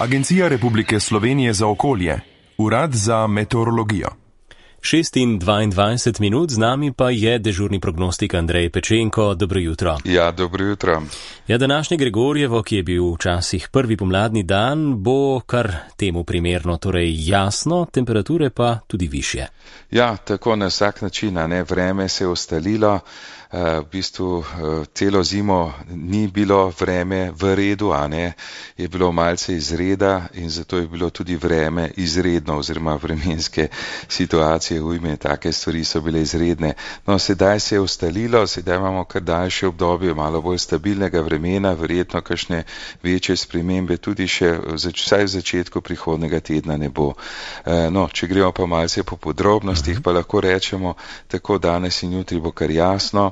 Agencija Republike Slovenije za okolje, Urad za meteorologijo. 6:22 z nami pa je dežurni prognostik Andrej Pečenko. Dobro jutro. Ja, dobro jutro. Ja, današnje Gregorjevo, ki je bil včasih prvi pomladni dan, bo kar temu primerno, torej jasno, temperature pa tudi višje. Ja, tako na vsak način, vreme se je ustalilo. V bistvu celo zimo ni bilo vreme v redu, je bilo malce izreda in zato je bilo tudi vreme izredno oziroma vremenske situacije, ujme, take stvari so bile izredne. No, sedaj se je ustalilo, sedaj imamo kar daljše obdobje malo bolj stabilnega vremena, verjetno kakšne večje spremembe tudi še vsaj v začetku prihodnega tedna ne bo. No, če gremo pa malce po podrobnostih, pa lahko rečemo, tako danes in jutri bo kar jasno.